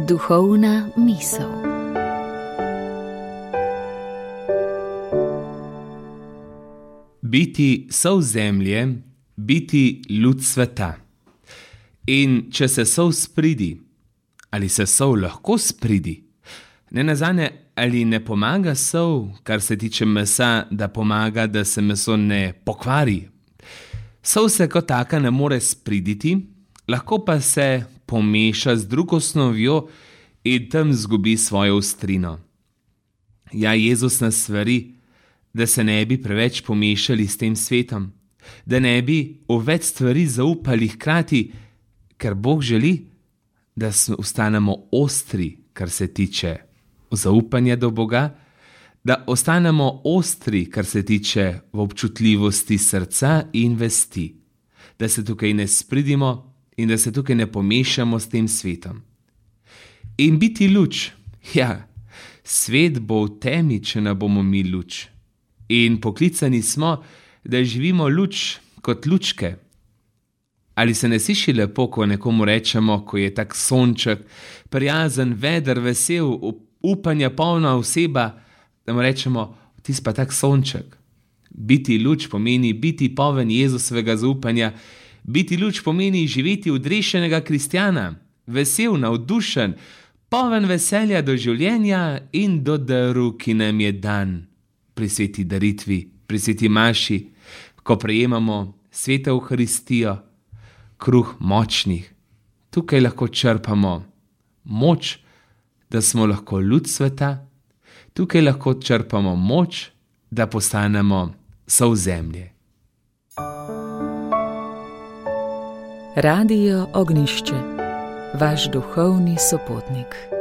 Duhovna misel. Biti sol zemlje, biti luč sveta. In če se sol spridi, ali se sol lahko spridi? Nenazadnje, ali ne pomaga sol, kar se tiče mesa, da pomaga, da se meso ne pokvari? Sol se kot taka ne more spriditi, lahko pa se pomeša z drugo snovjo in tam zgubi svojo ostrino. Ja, Jezus nas svari, da se ne bi preveč pomešali s tem svetom, da ne bi v več stvari zaupali hkrati, ker Bog želi, da ostanemo ostri, kar se tiče zaupanja do Boga, da ostanemo ostri, kar se tiče v občutljivosti srca in vesti, da se tukaj ne spridimo in da se tukaj ne pomešamo s tem svetom. In biti luč, ja, svet bo v temi, če ne bomo mi luč. In poklicani smo, da živimo luč kot lučke. Ali se ne sliši lepo, ko nekomu rečemo, ko je tak sonček, prijazen, veder, vesel, upanja polna oseba, da mu rečemo, ti si pa tak sonček. Biti luč pomeni biti poln Jezusovega zaupanja, biti luč pomeni živeti odrešenega kristjana, vesel, navdušen, poln veselja do življenja in do daru, ki nam je dan. Pri sveti daritvi, pri sveti maši, ko prejemamo sveto Evharistijo, kruh močnih. Tukaj lahko črpamo moč, da smo lahko luč sveta, tukaj lahko črpamo moč, da postanemo sol zemlje. Radio Ognjišče, vaš duhovni sopotnik.